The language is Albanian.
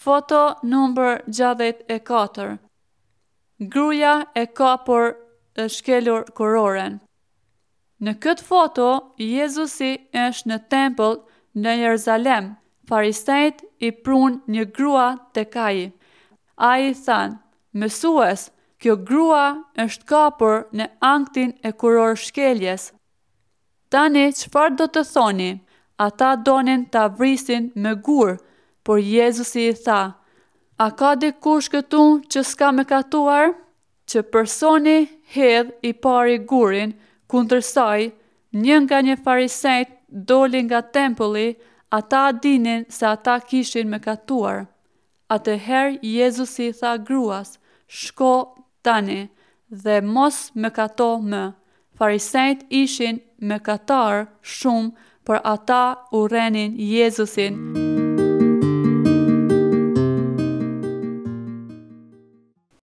Foto numër 64 Gruaja e kapur e shkelur kuroren. Në këtë foto, Jezusi është në tempull në Jeruzalem. Farisenjtë i prunë një grua tek ai. Ai i thanë, Mësues, kjo grua është kapur në aktin e kurorëshkeljes. Tani çfarë do të thoni? Ata donin ta vrisin me gurë, por Jezusi i tha, A ka dikush këtu që s'ka mëkatuar? Që personi hedh i pari gurin kundër saj, një nga një farisenjtë doli nga tempulli, ata dinin se ata kishin mëkatuar. Atëherë Jezusi i tha gruas, Shko tani, dhe mos mëkato më. Farisenjtë ishin mëkatarë shumë, por ata urrenin Jezusin.